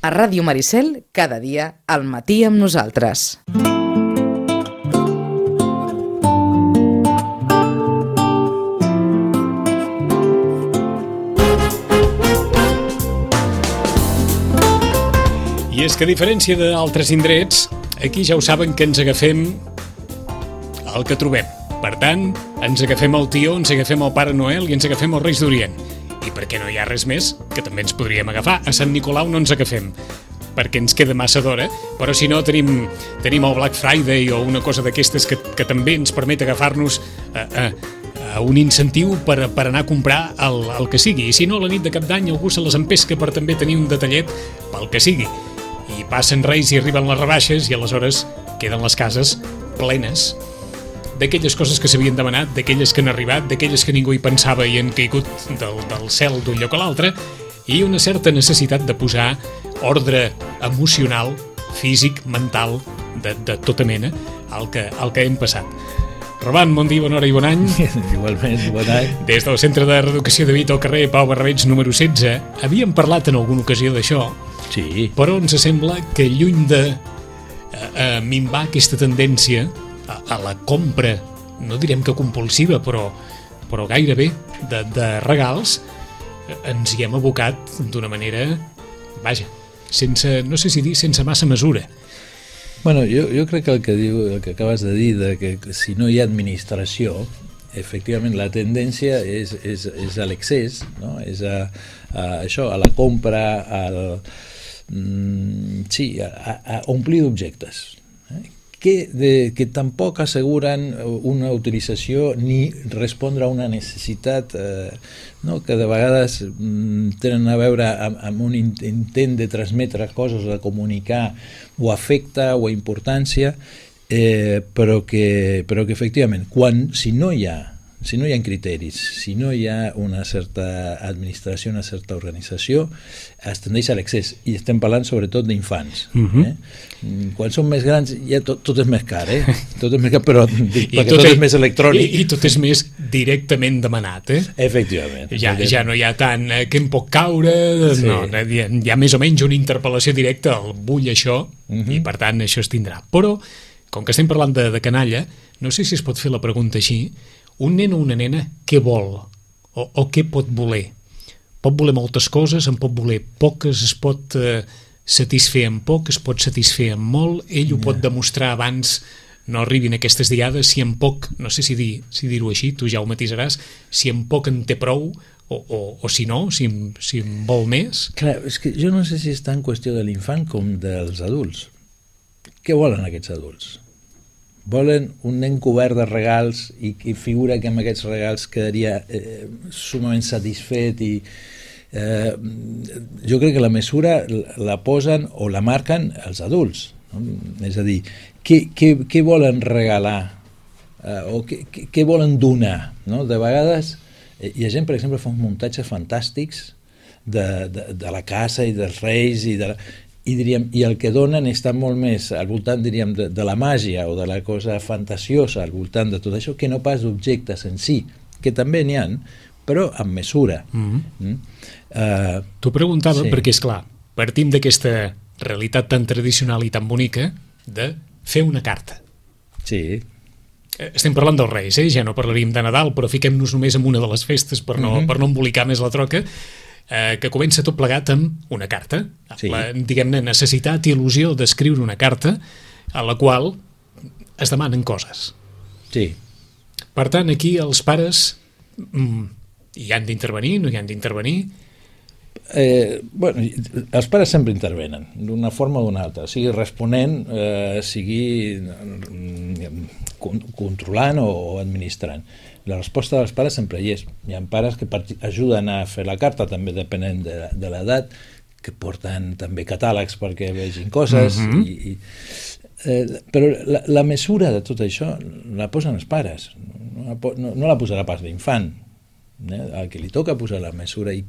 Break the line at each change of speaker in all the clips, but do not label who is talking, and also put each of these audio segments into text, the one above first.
A Ràdio Maricel, cada dia, al matí amb nosaltres.
I és que a diferència d'altres indrets, aquí ja ho saben que ens agafem el que trobem. Per tant, ens agafem el tió, ens agafem el Pare Noel i ens agafem els Reis d'Orient. I perquè no hi ha res més que també ens podríem agafar. A Sant Nicolau no ens agafem, perquè ens queda massa d'hora, però si no tenim el Black Friday o una cosa d'aquestes que també ens permet agafar-nos un incentiu per anar a comprar el que sigui. I si no, a la nit de Cap d'Any algú se les empesca per també tenir un detallet pel que sigui. I passen Reis i arriben les rebaixes i aleshores queden les cases plenes d'aquelles coses que s'havien demanat, d'aquelles que han arribat, d'aquelles que ningú hi pensava i han caigut del cel d'un lloc a l'altre, i una certa necessitat de posar ordre emocional, físic, mental, de tota mena, al que hem passat. Roman, bon dia, bona hora i bon any.
Igualment, bon any.
Des del Centre de Reeducació de Vita al carrer Pau Barrabets número 16, havíem parlat en alguna ocasió d'això,
sí.
Però ens sembla que lluny de minvar aquesta tendència a la compra, no direm que compulsiva, però gairebé de regals, ens hi hem abocat d'una manera, vaja, sense, no sé si dir, sense massa mesura.
Bueno, jo crec que el que acabes de dir, de que si no hi ha administració, efectivament la tendència és a l'excés, no? És a això, a la compra, a omplir d'objectes, que tampoc asseguren una utilització ni respondre a una necessitat que de vegades tenen a veure amb un intent de transmetre coses, de comunicar o afecte o importància, però que efectivament, si no hi ha criteris, si no hi ha una certa administració, una certa organització, es tendeix a l'excés, i estem parlant sobretot d'infants. Quan són més grans ja tot és més car, tot és més car, però perquè tot és més electrònic.
I tot és més directament demanat,
Efectivament.
Ja no hi ha tant que em pot caure, sí. No, hi ha més o menys una interpel·lació directa, el vull això, i per tant això es tindrà. Però, com que estem parlant de canalla, no sé si es pot fer la pregunta així: un nen o una nena, què vol? O què pot voler? Pot voler moltes coses, en pot voler poques, es pot satisfer amb poc, es pot satisfer amb molt, ell ho pot demostrar abans no arribin aquestes diades, si en poc, no sé si dir-ho així, tu ja ho matisaràs, si en poc en té prou, o si no, si en vol més.
Clar, és que jo no sé si és tan qüestió de l'infant com dels adults. Què volen aquests adults? Volen un nen cobert de regals i figura que amb aquests regals quedaria sumament satisfet, i jo crec que la mesura la posen o la marquen els adults, no? És a dir, què volen regalar o què volen donar, no? De vegades hi ha gent, per exemple, fa uns muntatges fantàstics de la casa i dels reis i el que donen està molt més al voltant, diríem, de la màgia o de la cosa fantasiosa al voltant de tot això, que no pas d'objectes en si, que també n'hi ha, però amb mesura.
T'ho preguntava perquè, esclar, partim d'aquesta realitat tan tradicional i tan bonica de fer una carta.
Sí.
Estem parlant dels Reis, ja no parlaríem de Nadal, però fiquem-nos només en una de les festes per no embolicar més la troca, que comença tot plegat amb una carta. Sí. La, diguem-ne, necessitat i il·lusió d'escriure una carta a la qual es demanen coses.
Sí.
Per tant, aquí els pares hi han d'intervenir, no hi han d'intervenir?
Bueno, els pares sempre intervenen, d'una forma o d'una altra, sigui responent, sigui controlant o administrant. La resposta dels pares sempre hi és. Hi ha pares que ajuden a fer la carta, també depenent de l'edat, que porten també catàlegs perquè vegin coses, però la mesura de tot això la posen els pares, no la posarà pas l'infant, al que li toca posar la mesura, i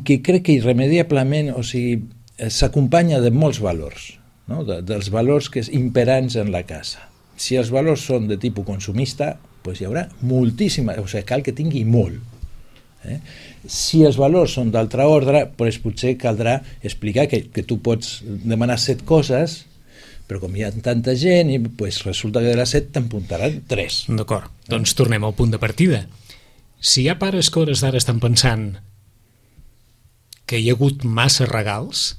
que crec que irremediablement, o sigui, s'acompanya de molts valors, no? Dels valors que és imperants en la casa. Si els valors són de tipus consumista, doncs hi haurà moltíssima, o sigui, cal que tingui molt. Si els valors són d'altre ordre, doncs potser caldrà explicar que tu pots demanar 7 coses, però com hi ha tanta gent, doncs resulta que de les 7 t'empuntaran 3.
D'acord, doncs tornem al punt de partida. Si hi ha pares que hores d'ara estan pensant que hi ha hagut massa regals,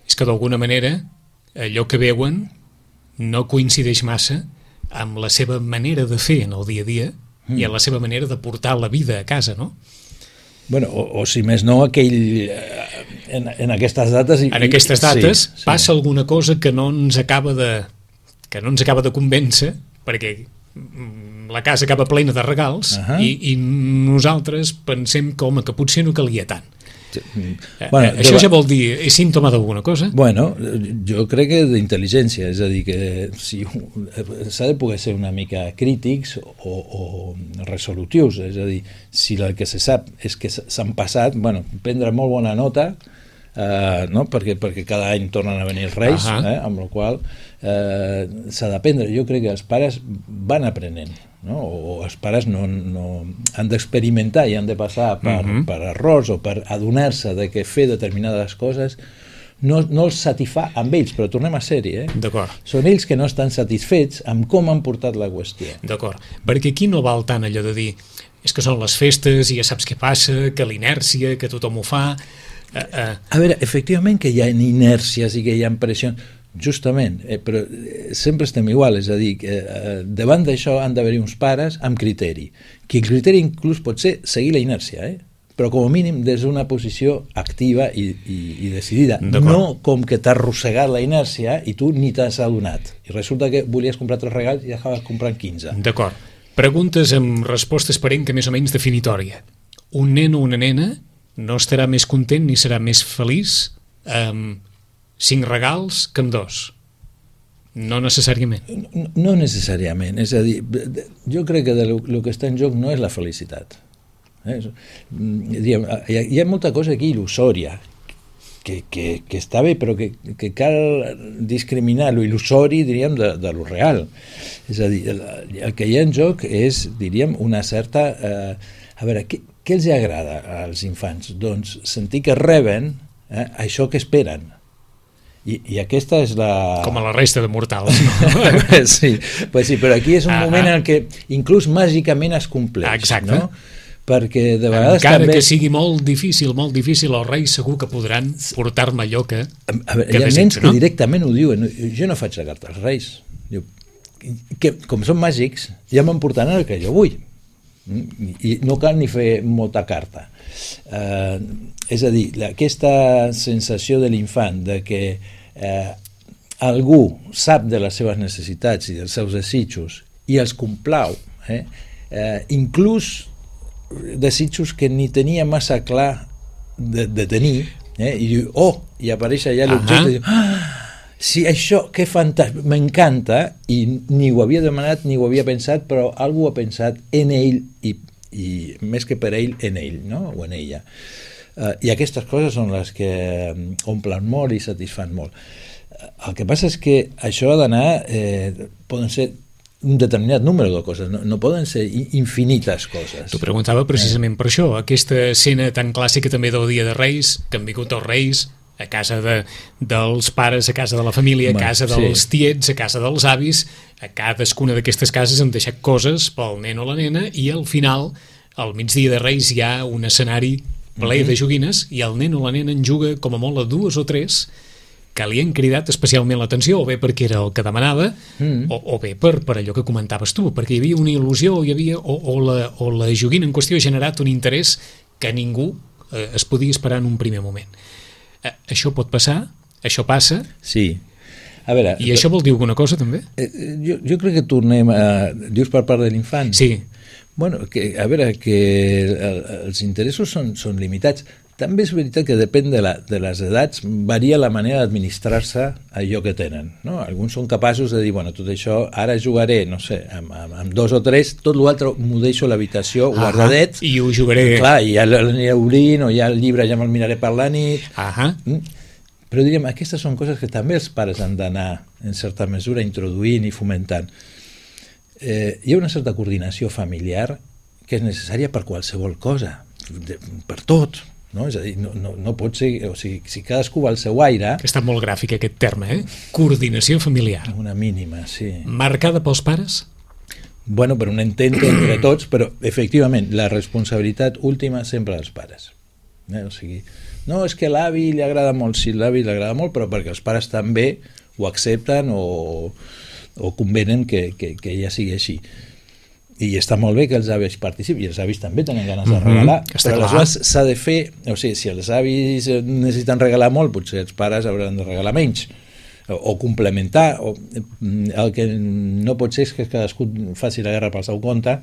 és que d'alguna manera allò que veuen no coincideix massa amb la seva manera de fer en el dia a dia i en la seva manera de portar la vida a casa, no?
Bueno, o si més no, en aquestes dates...
En aquestes dates passa alguna cosa que no ens acaba de convèncer, perquè la casa acaba plena de regals i nosaltres pensem que, home, que potser no calia tant.
Bueno,
això ja vol dir, és símptoma d'alguna cosa?
Bueno, jo crec que d'intel·ligència, és a dir, que s'ha de poder ser una mica crítics o resolutius, és a dir, si el que se sap és que s'han passat, bueno, prendre molt bona nota, no? perquè cada any tornen a venir els Reis, amb la qual s'ha d'aprendre. Jo crec que els pares van aprenent, no? O els pares no han d'experimentar i han de passar per errors o per adonar-se de que fer determinades coses no els satisfà amb ells, però tornem a ser-hi.
D'acord.
Són ells que no estan satisfets amb com han portat la qüestió.
D'acord, perquè aquí no val tant allò de dir és que són les festes i ja saps què passa, que l'inèrcia, que tothom ho fa...
A veure, efectivament que hi ha inèrcies i que hi ha pressions, justament, però sempre estem igual, és a dir, que davant d'això han d'haver-hi uns pares amb criteri, que el criteri inclús pot ser seguir la inèrcia, però com a mínim des d'una posició activa i decidida, no com que t'ha arrossegat la inèrcia i tu ni t'has adonat, i resulta que volies comprar 3 regals i acabaves comprant 15.
D'acord. Preguntes amb resposta esperent que més o menys definitòria. Un nen o una nena no estarà més content ni serà més feliç amb 5 regals que amb 2. No necessàriament.
No necessàriament. És a dir, jo crec que el que està en joc no és la felicitat. Hi ha molta cosa aquí il·lusòria, que està bé, però que cal discriminar lo il·lusori, diríem, de lo real. És a dir, el que hi ha en joc és, diríem, una certa... A veure, què els agrada als infants? Doncs sentir que reben això que esperen. I aquesta és la...
Com a la resta de mortals, no?
Sí, però aquí és un moment en què inclús màgicament es compleix.
Exacte.
No? Perquè de vegades
encara
també...
que sigui molt difícil, els Reis segur que podran portar-me allò que...
A veure, hi ha nens que directament ho diuen. Jo no faig la carta als Reis. Diu, que, com són màgics, ja me'n portaran el que jo vull. I no cal ni fer molta carta. És a dir, aquesta sensació de l'infant de que algú sap de les seves necessitats i dels seus desitjos i els complau, inclús desitjos que ni tenia massa clar de tenir, i diu, i apareix allà l'objecte i diu, sí, això, que fantàstic, m'encanta, i ni ho havia demanat ni ho havia pensat, però algú ha pensat en ell i més que per ell, en ell, no? O en ella. I aquestes coses són les que omplen molt i satisfan molt. El que passa és que això ha d'anar, poden ser un determinat número de coses, no poden ser infinites coses.
T'ho preguntava precisament per això, aquesta escena tan clàssica també del Dia de Reis, que han vingut els Reis a casa dels pares, a casa de la família, a casa dels tiets, a casa dels avis, a cadascuna d'aquestes cases han deixat coses pel nen o la nena i al final, al migdia de Reis, hi ha un escenari ple de joguines i el nen o la nena en juga com a molt a 2 o 3 que li han cridat especialment l'atenció, o bé perquè era el que demanava, o bé per allò que comentaves tu, perquè hi havia una il·lusió, o la joguina en qüestió ha generat un interès que ningú es podia esperar en un primer moment. Això pot passar? Això passa?
Sí. A veure,
I això vol dir alguna cosa, també?
Jo crec que tornem a... Dius per part de l'infant?
Sí.
Bueno, a veure, que els interessos són limitats. També és veritat que depèn de les edats, varia la manera d'administrar-se allò que tenen. No? Alguns són capaços de dir, bueno, tot això, ara jugaré, no sé, amb 2 o 3, tot l'altre m'ho deixo a l'habitació guardadet.
I ho jugaré.
Clar, i ja l'aniré obrint, o ja el llibre ja me'l miraré per la nit. Però diríem, aquestes són coses que també els pares han d'anar, en certa mesura, introduint i fomentant. Hi ha una certa coordinació familiar que és necessària per qualsevol cosa. per tot, no? És a dir, no pot ser, o sigui, si cadascú va al seu aire...
Que està molt gràfic aquest terme, coordinació familiar.
Una mínima, sí.
Marcada pels pares?
Bueno, per un entente entre tots, però efectivament la responsabilitat última sempre dels pares. O sigui, no, és que l'avi li agrada molt, sí, l'avi li agrada molt, però perquè els pares també ho accepten o convenen que ella sigui així. I està molt bé que els avis participin, i els avis també tenen ganes de regalar, però aleshores s'ha de fer, o sigui, si els avis necessiten regalar molt, potser els pares hauran de regalar menys, o complementar, el que no pot ser és que cadascú faci la guerra pel seu compte,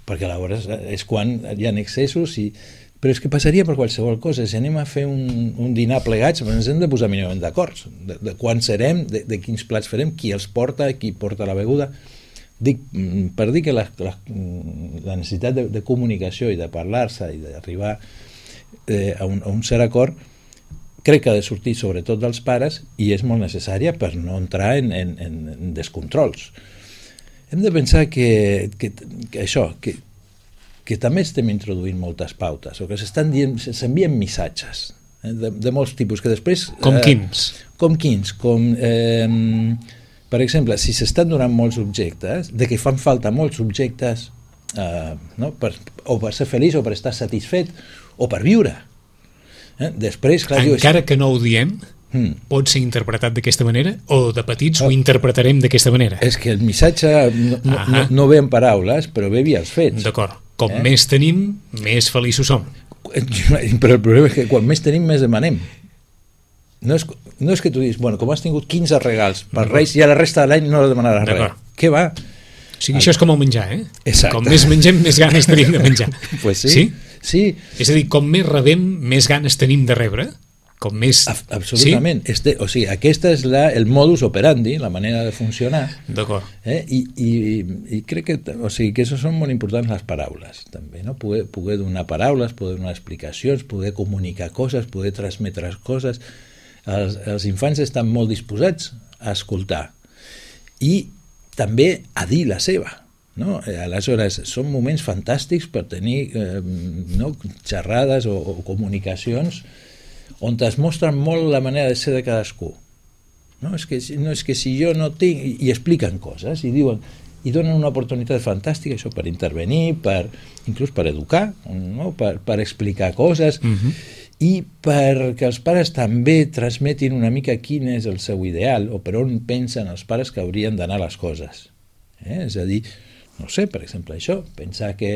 perquè aleshores és quan hi ha excessos, però és que passaria per qualsevol cosa. Si anem a fer un dinar plegats, ens hem de posar mínimament d'acord de quan serem, de quins plats farem, qui els porta, qui porta la beguda. Dic, per dir que la necessitat de comunicació i de parlar-se i d'arribar a un cert acord crec que ha de sortir sobretot dels pares i és molt necessària per no entrar en descontrols. Hem de pensar que això, que també estem introduint moltes pautes o que s'envien missatges de molts tipus que després...
Com quins?
Com quins? Per exemple, si s'estan donant molts objectes, de que fan falta molts objectes o per ser feliç o per estar satisfet o per viure. Després, clar,
encara que no ho diem, pot ser interpretat d'aquesta manera o de petits ho interpretarem d'aquesta manera?
És que el missatge no ve en paraules, però ve via els fets.
D'acord. Com més tenim, més feliços som.
Però el problema és que quan més tenim, més demanem. No és que tu diguis, bueno, com has tingut 15 regals per Reis i a la resta de l'any no demanaràs res. Què va?
O sigui, això és com el menjar,
Exacte.
Com més mengem, més ganes tenim de menjar.
Pues sí. Sí.
És a dir, com més rebem, més ganes tenim de rebre. Com més...
Absolutament. Sí? O sigui, aquesta és el modus operandi, la manera de funcionar.
D'acord.
I crec que això són molt importants les paraules, també, no? Poder donar paraules, poder donar explicacions, poder comunicar coses, poder transmetre coses. Els infants estan molt disposats a escoltar i també a dir la seva. No? Aleshores, són moments fantàstics per tenir xerrades o comunicacions on es mostren molt la manera de ser de cadascú. No és que si jo no tinc... I expliquen coses, i diuen... I donen una oportunitat fantàstica, això, per intervenir, inclús per educar, no? per explicar coses, i perquè els pares també transmetin una mica quin és el seu ideal, o per on pensen els pares que haurien d'anar les coses. És a dir, no sé, per exemple, això, pensar que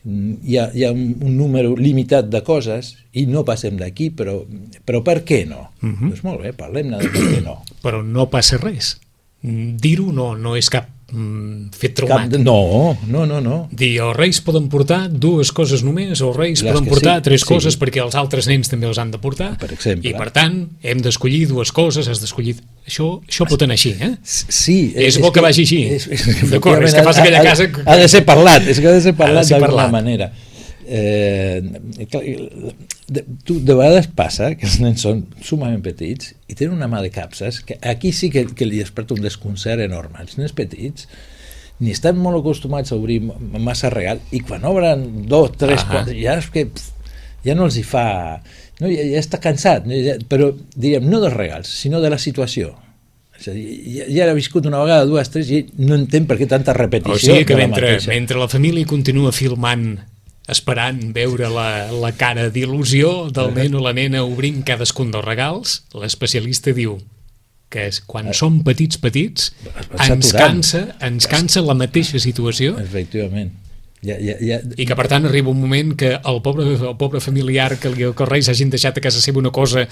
hi ha un número limitat de coses i no passem d'aquí, però per què no? Doncs molt bé, parlem-ne de per què no.
Però no passa res. Dir-ho no és cap fet traumàtic.
No.
Dir, els Reis poden portar 2 coses només, o els Reis poden portar 3 coses perquè els altres nens també els han de portar,
per exemple.
I per tant hem d'escollir 2 coses, has d'escollir... Això pot anar així,
Sí.
És bo que vagi així. D'acord, és que fas aquella casa...
Ha de ser parlat, d'alguna manera. De vegades passa que els nens són sumament petits i tenen una mà de capses que aquí sí que li desperta un desconcert enorme. Els nens petits ni estan molt acostumats a obrir massa regal i quan obren 2, 3, 4 ja no els hi fa, no, ja està cansat, però diríem no dels regals sinó de la situació. És a dir, ja l'ha viscut una vegada, 2, 3 i no entén per què tanta repetició.
O sigui que mentre la família continua filmant esperant veure la cara d'il·lusió del nen o la nena obrint cadascun dels regals, l'especialista diu que quan som petits ens cansa la mateixa situació.
Efectivament.
I que per tant arriba un moment que el pobre familiar que els Reis hagin deixat a casa seva una cosa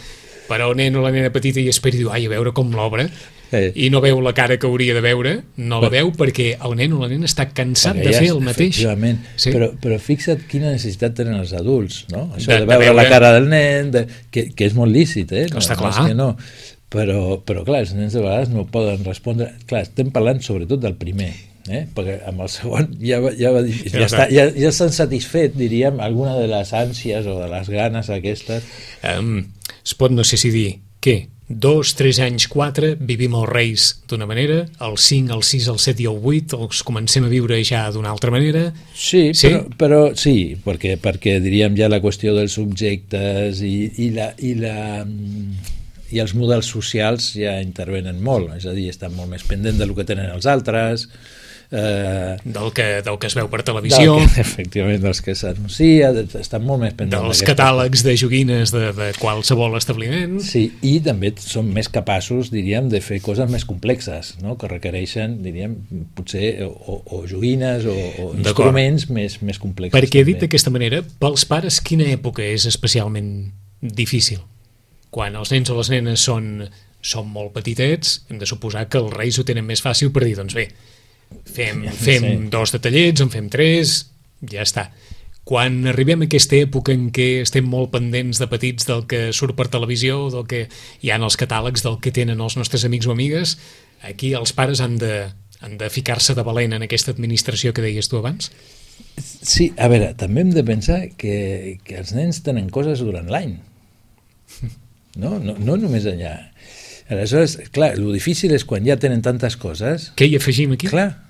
per al nen o la nena petita i espera i diu, ai, a veure com l'obre, i no veu la cara que hauria de veure, no la veu perquè el nen o la nena està cansat de fer el mateix.
Efectivament, sí. Però fixa't quina necessitat tenen els adults, no? Això de veure la cara del nen, que és molt lícit,
no, està clar.
Però clar, els nens de vegades no poden respondre. Clar, estem parlant sobretot del primer, perquè amb el segon ja s'han satisfet, diríem, alguna de les ànsies o de les ganes aquestes.
Es pot, no sé si dir, què? 2, 3 anys, 4, vivim els Reis d'una manera, el 5, el 6, el 7 i el 8 els comencem a viure ja d'una altra manera.
Sí, sí? Però sí, perquè diríem ja la qüestió dels subjectes i els models socials ja intervenen molt, és a dir, estan molt més pendents del que tenen els altres,
del que es veu per televisió,
efectivament, dels que s'anuncia, estan molt més pendents
dels catàlegs de joguines de qualsevol establiment.
Sí, i també són més capaços, diríem, de fer coses més complexes, no? Que requereixen, diríem, potser o joguines o instruments més complexos.
Perquè dit d'aquesta manera, pels pares quina època és especialment difícil? Quan els nens o les nenes són molt petitets, hem de suposar que els Reis ho tenen més fàcil per dir, doncs bé, fem 2 detallets, en fem 3, ja està. Quan arribem a aquesta època en què estem molt pendents de petits del que surt per televisió, del que hi ha en els catàlegs, del que tenen els nostres amics o amigues, aquí els pares han de ficar-se de valent en aquesta administració que deies tu abans?
Sí, a veure, també hem de pensar que els nens tenen coses durant l'any, no només allà. Aleshores, clar, el difícil és quan ja tenen tantes coses...
Què hi afegim aquí?
Clar,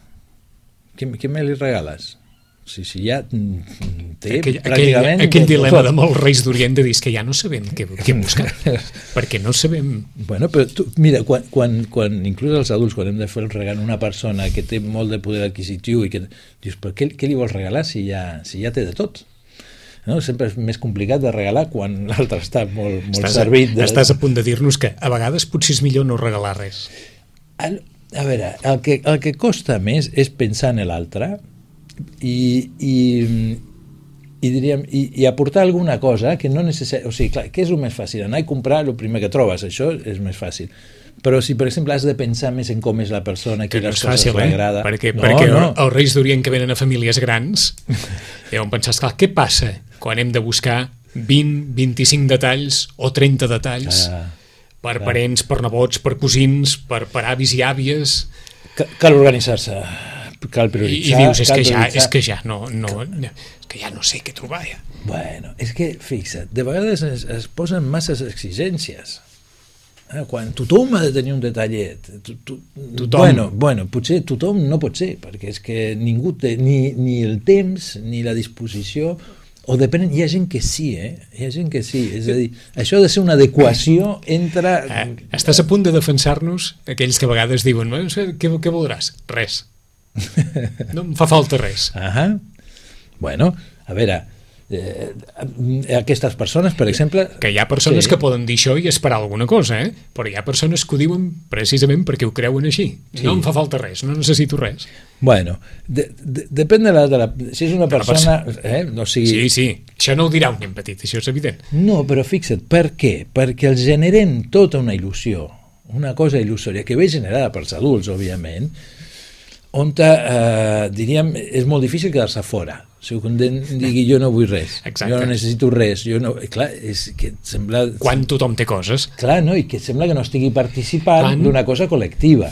què me li regales? Si ja té
pràcticament... Aquell dilema de molts Reis d'Orient de dir que ja no sabem què buscar, perquè no sabem...
Bueno, però tu, mira, quan inclús els adults, quan hem de fer el regal a una persona que té molt de poder adquisitiu i que dius, però què li vols regalar si ja té de tot? No? Sempre és més complicat de regalar quan l'altre està molt servit.
Estàs a punt de dir-nos que a vegades potser és millor no regalar res.
A veure, el que costa més és pensar en l'altre i diríem, i aportar alguna cosa que no necessari... O sigui, clar, què és el més fàcil? Anar i comprar el primer que trobes, això és més fàcil. Però si, per exemple, has de pensar més en com és la persona, que les coses li agrada...
Perquè els Reis d'Orient que venen a famílies grans deuen pensar, esclar, què passa quan hem de buscar 20, 25 detalls o 30 detalls per parents, per nebots, per cosins, per avis i àvies...
Cal organitzar-se, cal prioritzar...
I dius, és que ja no sé què trobar, ja.
Bueno, és que, fixa't, de vegades es posen masses exigències. Quan tothom ha de tenir un detallet, bueno, potser tothom no pot ser, perquè és que ningú té ni el temps ni la disposició, o depèn, hi ha gent que sí, hi ha gent que sí, és a dir, això ha de ser una adequació entre...
Estàs a punt de defensar-nos aquells que a vegades diuen, què voldràs? Res. No em fa falta res.
Bueno, a veure, aquestes persones, per exemple...
Que hi ha persones que poden dir això i esperar alguna cosa, però hi ha persones que ho diuen precisament perquè ho creuen així. No em fa falta res, no necessito res.
Bueno, depèn de la... Si és una persona... No sigui...
Sí, això no ho dirà un nen petit, això és evident.
No, però fixa't, per què? Perquè els generem tota una il·lusió, una cosa il·lusòria, que ve generada pels adults, òbviament, on, diríem, és molt difícil quedar-se fora. Si un digui jo no vull res, exacte. Jo no necessito res, clar, és que sembla...
Quan tothom té coses.
Clar, no? I que sembla que no estigui participant d'una cosa col·lectiva.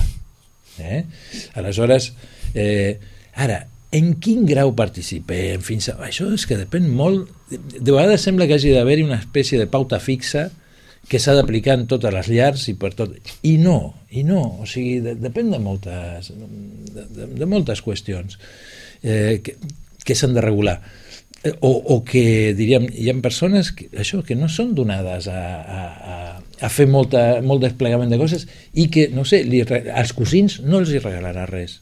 Aleshores, ara, en quin grau participem? Això és que depèn molt... De vegades sembla que hagi d'haver-hi una espècie de pauta fixa que s'ha d'aplicar en totes les llars i per tot... I no, o sigui, depèn de moltes qüestions que s'han de regular. O que, diríem, hi ha persones que no són donades a fer molt desplegament de coses i que, no sé, als cosins no els hi regalarà res.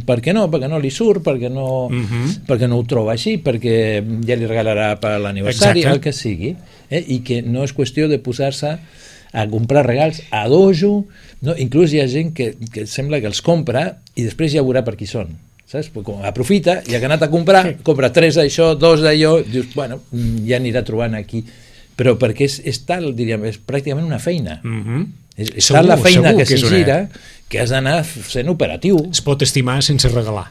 Per què no? Perquè no li surt, perquè no ho troba així, perquè ja li regalarà per l'aniversari, el que sigui, i que no és qüestió de posar-se a comprar regals a dojo, no? Inclús hi ha gent que sembla que els compra i després ja veurà per qui són, saps? Aprofita, ja que ha anat a comprar, compra 3 d'això, 2 d'allò, dius, bueno, ja anirà trobant aquí, però perquè és tal, diríem, és pràcticament una feina. És tal la feina que s'hi gira que has d'anar sent operatiu.
Es pot estimar sense regalar.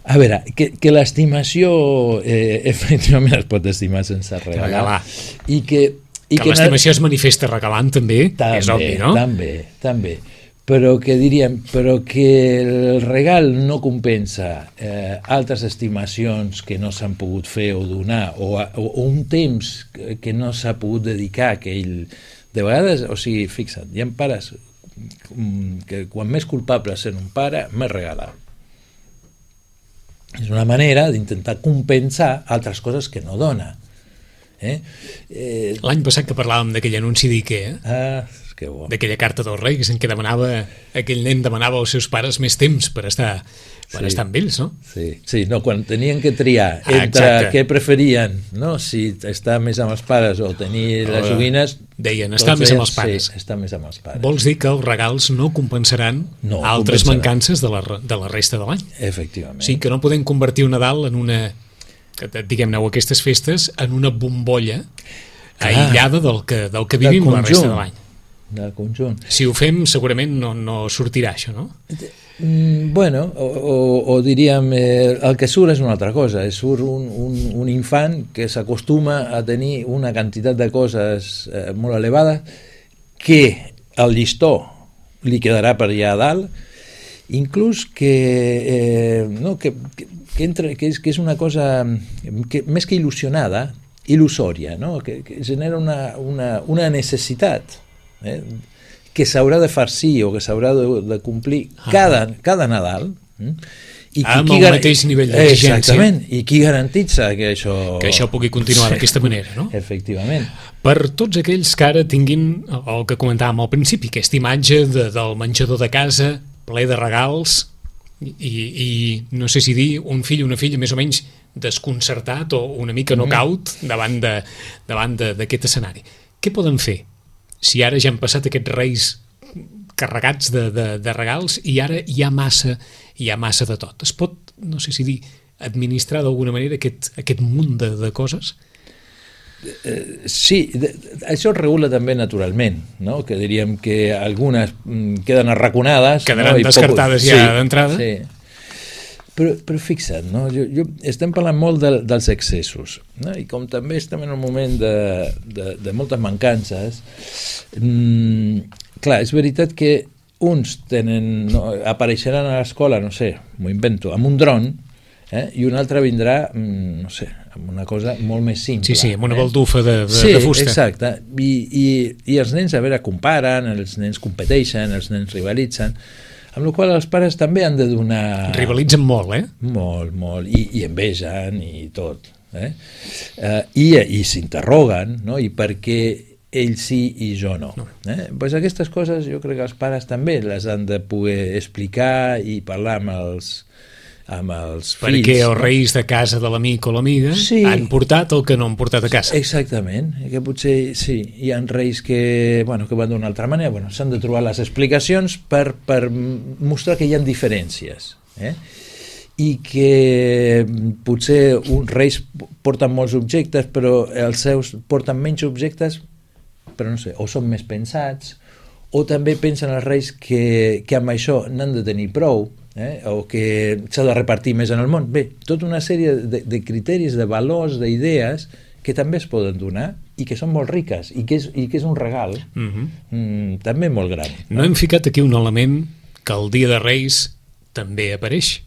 A veure, que l'estimació efectivament es pot estimar sense regalar. I que
l'estimació es manifesta regalant també, és obvi, no?
També. però que diríem, però que el regal no compensa altres estimacions que no s'han pogut fer o donar, o un temps que no s'ha pogut dedicar a aquell... De vegades, o sigui, fixa't, hi ha pares que quan més culpable sent un pare, més regalar. És una manera d'intentar compensar altres coses que no dona.
L'any passat que parlàvem d'aquell anunci d'IKEA,
que bo.
D'aquella carta dels Reis en què aquell nen demanava als seus pares més temps per estar amb ells, no?
Sí, no, quan tenien que triar entre què preferien, no? Si estar més amb els pares o tenir les joguines,
deien, estar més amb els pares.
Sí, estar més amb els pares.
Vols dir que els regals no compensaran altres mancances de la resta de l'any?
Efectivament.
Sí, que no podem convertir un Nadal en una, diguem-ne, o aquestes festes, en una bombolla aïllada del que vivim la resta de l'any.
Del conjunt.
Si ho fem, segurament no sortirà això, no?
Bueno, o diríem, el que surt és una altra cosa. Surt un infant que s'acostuma a tenir una quantitat de coses molt elevada que el llistó li quedarà per allà a dalt, inclús que és una cosa més que il·lusionada, il·lusòria, no? Que genera una necessitat que s'haurà de farcir o que s'haurà de complir cada Nadal,
amb el mateix nivell d'exigència.
Exactament, i qui garantitza que això
pugui continuar d'aquesta manera, no?
Efectivament.
Per tots aquells que ara tinguin el que comentàvem al principi, aquesta imatge del menjador de casa ple de regals i no sé si dir un fill o una filla més o menys desconcertat o una mica knockout davant d'aquest escenari. Què poden fer si ara ja han passat aquests Reis carregats de regals i ara hi ha massa de tot? Es pot, no sé si dir, administrar d'alguna manera aquest munt de coses?
Sí, això es regula també naturalment, no? Que diríem que algunes queden arraconades,
quedaran descartades ja d'entrada.
Sí. Però fixa't, no? Estem parlant molt dels excessos, no? I com també estem en un moment de moltes mancances, clar, és veritat que uns apareixeran a l'escola, no sé, m'ho invento, amb un dron, i un altre vindrà, no sé, amb una cosa molt més simple.
Sí, amb una baldufa de fusta.
Sí, exacte. I els nens, a veure, comparen, els nens competeixen, els nens rivalitzen, amb la qual els pares també han de donar...
Rivalitzen molt,
Molt, i envegen i tot. I s'interroguen, no? I per què ell sí i jo no. Pues aquestes coses jo crec que els pares també les han de poder explicar i parlar amb els fills.
Perquè els Reis de casa de l'amic o l'amiga han portat el que no han portat a casa.
Exactament, que potser sí, hi ha Reis que van d'una altra manera, s'han de trobar les explicacions per mostrar que hi ha diferències, i que potser uns Reis porten molts objectes però els seus porten menys objectes, però no sé, o són més pensats, o també pensen els Reis que amb això n'han de tenir prou, o que s'ha de repartir més en el món. Bé, tota una sèrie de criteris, de valors, d'idees que també es poden donar i que són molt riques i que és un regal també molt gran.
No hem ficat aquí un element que el dia de Reis també apareix,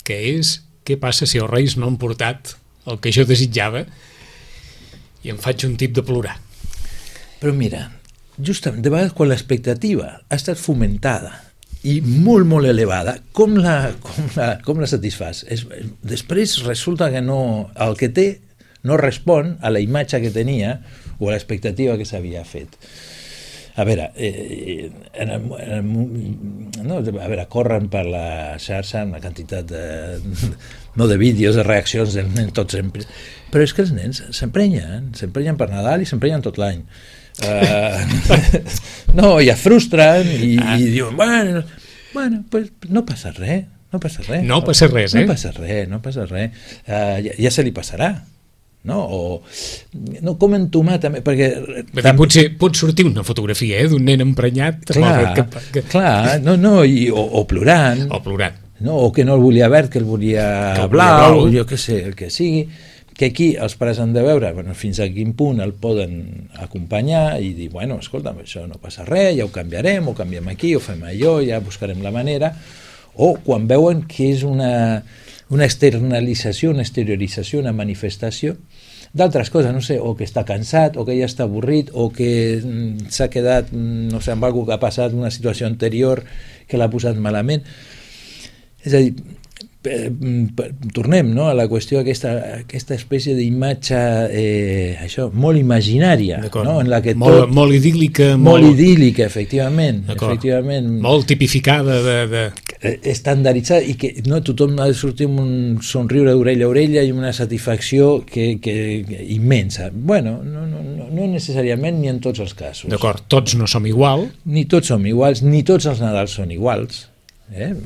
que és què passa si els Reis no han portat el que jo desitjava i em faig un tip de plorar.
Però mira, justament de vegades quan l'expectativa ha estat fomentada i molt, molt elevada, com la satisfàs? Després resulta que el que té no respon a la imatge que tenia o a l'expectativa que s'havia fet. A veure, corren per la xarxa una quantitat de vídeos, de reaccions dels nens tots sempre, però és que els nens s'emprenyen per Nadal i s'emprenyen tot l'any. I es frustren i diuen, bueno, pues no passa res. No passa res. Ja se li passarà. Com entomar també, perquè...
Potser pot sortir una fotografia d'un nen emprenyat.
Clar, o plorant.
O plorant.
O que no el volia verd, que el volia blau, jo què sé, el que sigui. que aquí els pares han de veure fins a quin punt el poden acompanyar i dir, bueno, escolta'm, això no passa res, ja ho canviarem, ho canviem aquí, ho fem allò, ja buscarem la manera, o quan veuen que és una externalització, una exteriorització, una manifestació d'altres coses, no sé, o que està cansat, o que ja està avorrit, o que s'ha quedat, no sé, amb alguna que ha passat, una situació anterior que l'ha posat malament. És a dir, tornem, no?, a la qüestió aquesta espècie d'imatge això, molt imaginària, no?, en la que tot...
Molt idíl·lica.
Molt idíl·lica, efectivament.
Molt tipificada de...
Estandarditzada, i que no, tothom ha de sortir amb un somriure d'orella a orella i una satisfacció que immensa. Bueno, no necessàriament ni en tots els casos.
D'acord, tots no som igual.
Ni tots som iguals, ni tots els Nadals són iguals.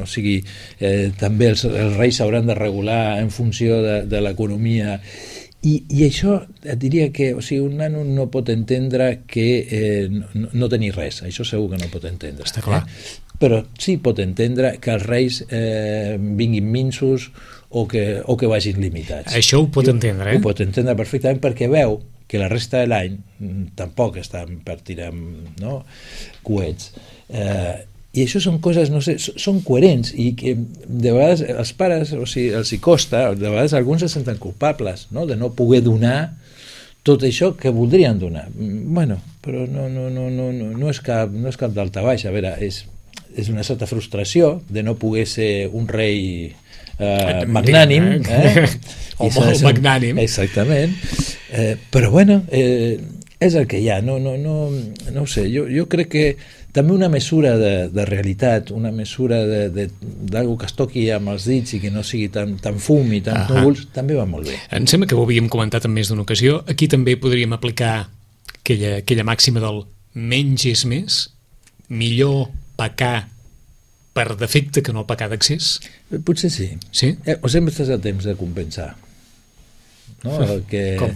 O sigui, també els reis s'hauran de regular en funció de l'economia i això et diria que, o sigui, un nano no pot entendre que no tenir res, això segur que no pot entendre.
Està clar.
Però sí pot entendre que els reis vinguin minsos o que vagin limitats.
Això ho pot entendre,
Ho pot entendre perfectament perquè veu que la resta de l'any tampoc estan per tirar coets. I això són coses, no sé, són coherents i que de vegades els pares, o sigui, els hi costa, de vegades alguns se senten culpables, no?, de no poder donar tot això que voldrien donar. Bueno, però no és cap d'alta baixa. A veure, és una certa frustració de no poder ser un rei magnànim,
o molt magnànim.
Exactament. Però bueno, és el que hi ha. No ho sé, jo crec que també una mesura de realitat, una mesura d'algú que es toqui amb els dits i que no sigui tan fum i tan núvols, també va molt bé.
Em sembla que ho havíem comentat en més d'una ocasió. Aquí també podríem aplicar aquella màxima del menys és més, millor pecar per defecte que no pecar d'accés?
Potser sí.
Sí?
O sempre estàs a temps de compensar. No?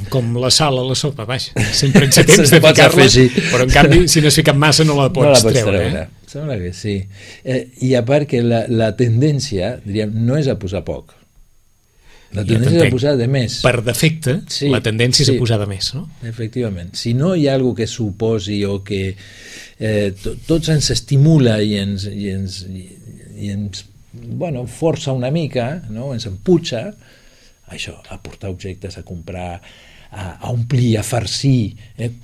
Com la sal a la sopa, vaja, sempre ets a temps de ficar-la, però en canvi si no has ficat massa no la pots treure.
Sembla que sí. I a part que la tendència, diríem, no és a posar poc, la tendència és a posar de més.
Per defecte, sí, la tendència és a posar de més, no?
Efectivament. Si no hi ha alguna que suposi o que tots ens estimula i ens força una mica, no? Ens emputxa, això, a portar objectes, a comprar, a omplir, a farcir,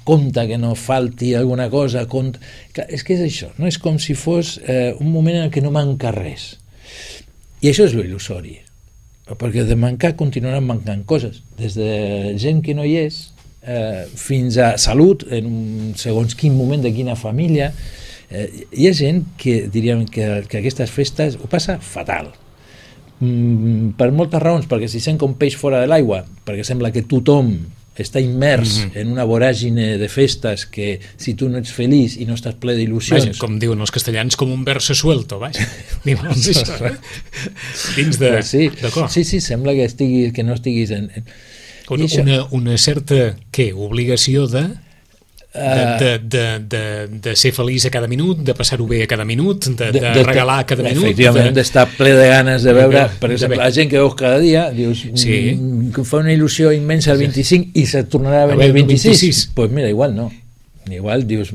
compte que no falti alguna cosa, és que és això, no? És com si fos un moment en què no manca res. I això és l'il·lusori, perquè de mancar continuaran mancant coses, des de gent que no hi és, fins a salut, en un segons quin moment de quina família. Hi ha gent que diríem que aquestes festes ho passa fatal. Per moltes raons, perquè s'hi sent com peix fora de l'aigua, perquè sembla que tothom està immers en una voràgine de festes que si tu no ets feliç i no estàs ple d'il·lusions...
Com diuen els castellans, com un verso suelto, vaja. Dins de... D'acord.
Sí, sembla que no estiguis en...
Una certa, obligació de ser feliç a cada minut, de passar-ho bé a cada minut, de regalar a cada minut,
efectivament, d'estar ple de ganes de veure, per exemple, la gent que veus cada dia, dius, que fa una il·lusió immensa el 25 i se tornarà a venir el 26, doncs mira, igual no, igual dius,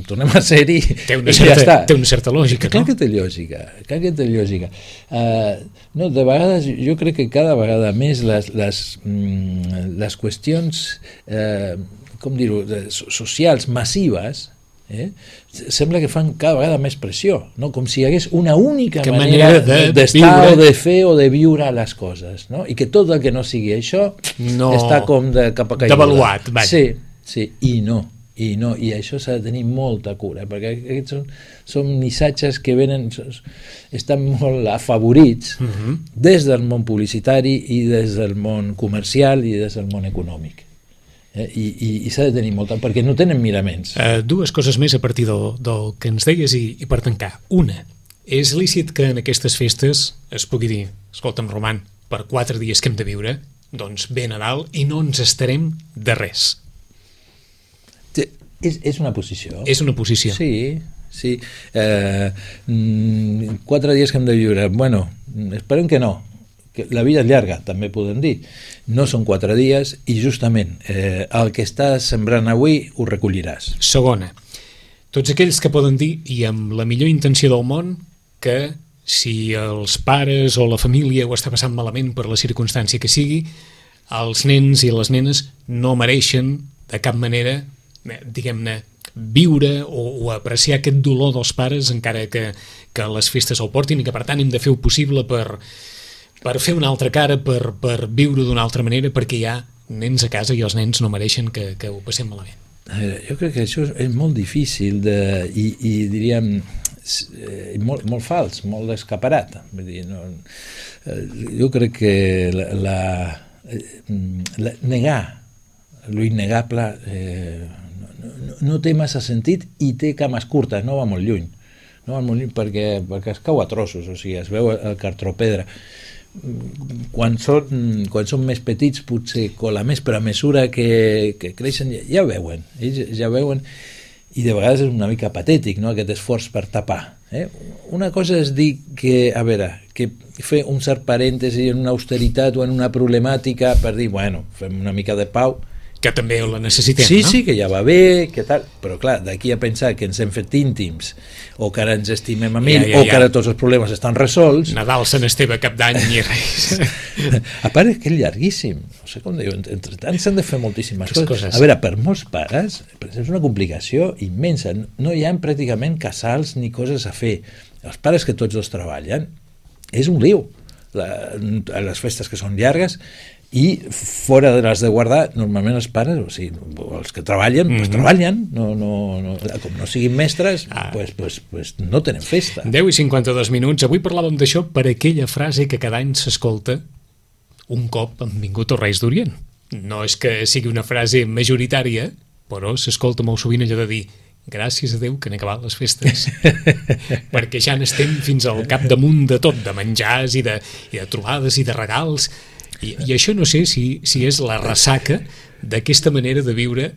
tornem a ser-hi i ja està.
Té una certa lògica,
clar que té lògica, no, de vegades jo crec que cada vegada més les qüestions com dir-ho, socials massives, sembla que fan cada vegada més pressió, no? Com si hi hagués una única manera d'estar o de fer o de viure les coses, no? I que tot el que no sigui això està com de capa caiguda.
Devaluat, vaja.
Sí, i això s'ha de tenir molta cura, perquè aquests són missatges que estan molt afavorits des del món publicitari i des del món comercial i des del món econòmic. I s'ha de tenir molta, perquè no tenen miraments.
Dues coses més a partir del que ens deies i per tancar. Una, és lícit que en aquestes festes es pugui dir, escolta'm, Roman, per 4 dies que hem de viure, doncs ve Nadal i no ens estarem de res.
És una posició.
És una posició.
Sí. 4 dies que hem de viure. Bueno, esperem que no, que la vida és llarga, també podem dir, no són 4 dies i justament el que estàs sembrant avui ho recolliràs.
Segona, tots aquells que poden dir, i amb la millor intenció del món, que si els pares o la família ho està passant malament per la circumstància que sigui, els nens i les nenes no mereixen de cap manera, diguem-ne, viure o apreciar aquest dolor dels pares encara que les festes el portin, i que per tant hem de fer el possible per fer una altra cara, per viure d'una altra manera, perquè hi ha nens a casa i els nens no mereixen que ho passem malament.
Jo crec que això és molt difícil i diríem molt fals, molt escaparat. Vull dir, jo crec que negar l'innegable no té massa sentit i té cames curtes, no va molt lluny. No va molt lluny perquè es cau a trossos, o sigui, es veu el cartropedre. Quan són més petits potser cola més, però a mesura que creixen ja veuen, ells ja veuen, i de vegades és una mica patètic, no?, aquest esforç per tapar. Una cosa és dir que, a veure, que fer un cert parèntesi en una austeritat o en una problemàtica per dir, bueno, fem una mica de pau,
que també la necessitem,
sí,
no?
Sí, que ja va bé, que tal, però clar, d'aquí a pensar que ens hem fet íntims o que ara ens estimem a mil o que ara tots els problemes estan resolts.
Nadal, Sant Esteve, Cap d'Any i res.
A part és que és llarguíssim, no sé com diu, entre tant s'han de fer moltíssimes coses. A veure, per molts pares és una complicació immensa, no hi ha pràcticament casals ni coses a fer. Els pares que tots dos treballen és un liu, les festes que són llargues, i fora de les de guardar, normalment els pares, o sigui, els que treballen, pues treballen, com no siguin mestres, pues no tenen festa.
10 i 52 minuts. Avui parlàvem d'això per aquella frase que cada any s'escolta un cop han vingut els Reis d'Orient. No és que sigui una frase majoritària, però s'escolta molt sovint allò de dir gràcies a Déu que han acabat les festes, perquè ja n'estem fins al capdamunt de tot, de menjars i de trobades i de regals. I això no sé si és la ressaca d'aquesta manera de viure.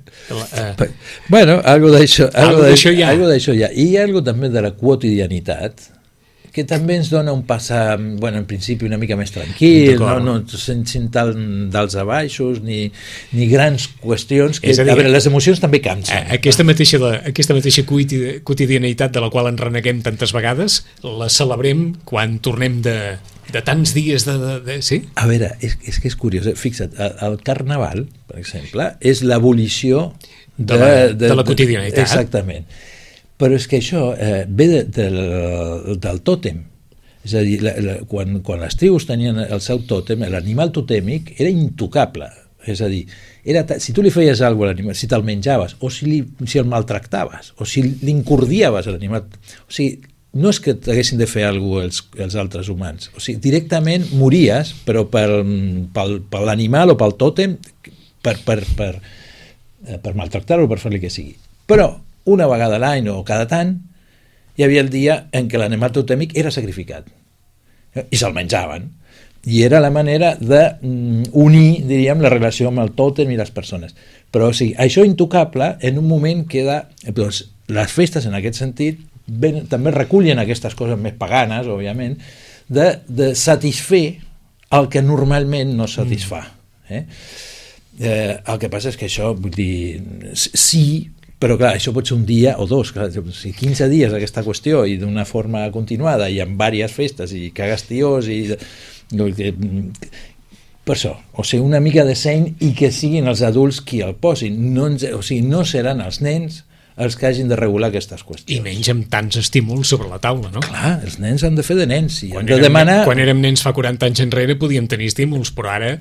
Bueno, algo d'això
hi ha.
I hi ha algo també de la quotidianitat que també ens dona un passar, bueno, en principi una mica més tranquil, no sentim tal d'alts a baixos ni grans qüestions que, a veure, les emocions també cansen.
Aquesta mateixa quotidianitat de la qual ens reneguem tantes vegades, la celebrem quan tornem de tants dies sí?
A veure, és que és curiós, fixa't, el Carnaval, per exemple, és l'abolició
de la quotidianitat.
Exactament. Però és que això ve del tòtem. És a dir, quan les tribus tenien el seu tòtem, l'animal totèmic era intocable. És a dir, si tu li feies alguna cosa a l'animal, si te'l menjaves, o si el maltractaves, o si l'incordiaves a l'animal, o sigui, no és que t'haguessin de fer alguna cosa els altres humans, o sigui, directament mories, però per l'animal o pel tòtem, per maltractar-lo, per fer-li que sigui. Però una vegada a l'any o cada tant hi havia el dia en què l'animal totèmic era sacrificat i se'l menjaven, i era la manera d'unir, diríem, la relació amb el tòtem i les persones. Però o sigui, això intocable en un moment queda, doncs, les festes en aquest sentit també recullen aquestes coses més paganes, òbviament, de satisfer el que normalment no satisfà. El que passa és que això, vull dir, sí, però clar, això pot ser un dia o dos, clar, si 15 dies aquesta qüestió i d'una forma continuada i amb diverses festes i cagues tiós i per això, o sigui, una mica de seny i que siguin els adults qui el posin, o sigui, no seran els nens els que hagin de regular aquestes qüestions.
I menys amb tants estímuls sobre la taula, no?
Clar, els nens han de fer de nens i
han
de demanar...
Quan érem nens fa 40 anys enrere podíem tenir estímuls, però ara,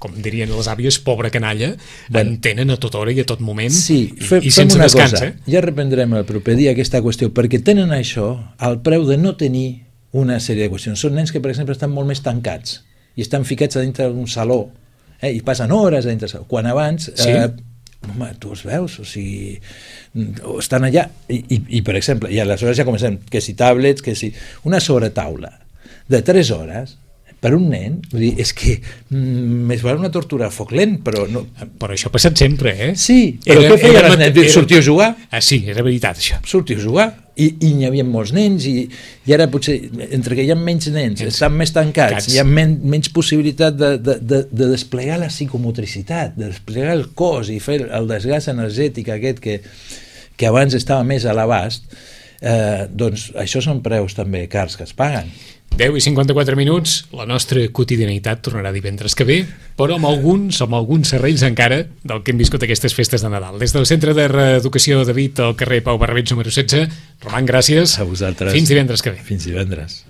com dirien les àvies, pobra canalla, en tenen a tota hora i a tot moment,
sí,
i sense descans.
Ja reprendrem el proper dia aquesta qüestió, perquè tenen això al preu de no tenir una sèrie de qüestions. Són nens que, per exemple, estan molt més tancats i estan ficats a dintre d'un saló, i passen hores a dintre del saló, quan abans...
Sí?
Home, tu els veus, o sigui, estan allà, i per exemple, i aleshores ja comencem, que si tablets, que si... Una sobretaula de 3 hores, per un nen, vull dir, és que més val una tortura a foc lent, però no...
Però això ha passat sempre, eh?
Sí, però què feia el nen? Sortiu a jugar?
Sí, era veritat, això.
Sortiu a jugar. i n'hi havia molts nens i ara potser, entre que hi ha menys nens, estan més tancats, hi ha menys possibilitat de desplegar la psicomotricitat, de desplegar el cos i fer el desgast energètic aquest que abans estava més a l'abast, doncs això són preus també cars que es paguen.
10 i 54 minuts, la nostra quotidianitat tornarà divendres que ve, però amb alguns serrells encara del que hem viscut aquestes festes de Nadal. Des del Centre de Reeducació David al carrer Pau Barrabets número 16, Roman, gràcies.
A vosaltres.
Fins divendres que ve.
Fins divendres.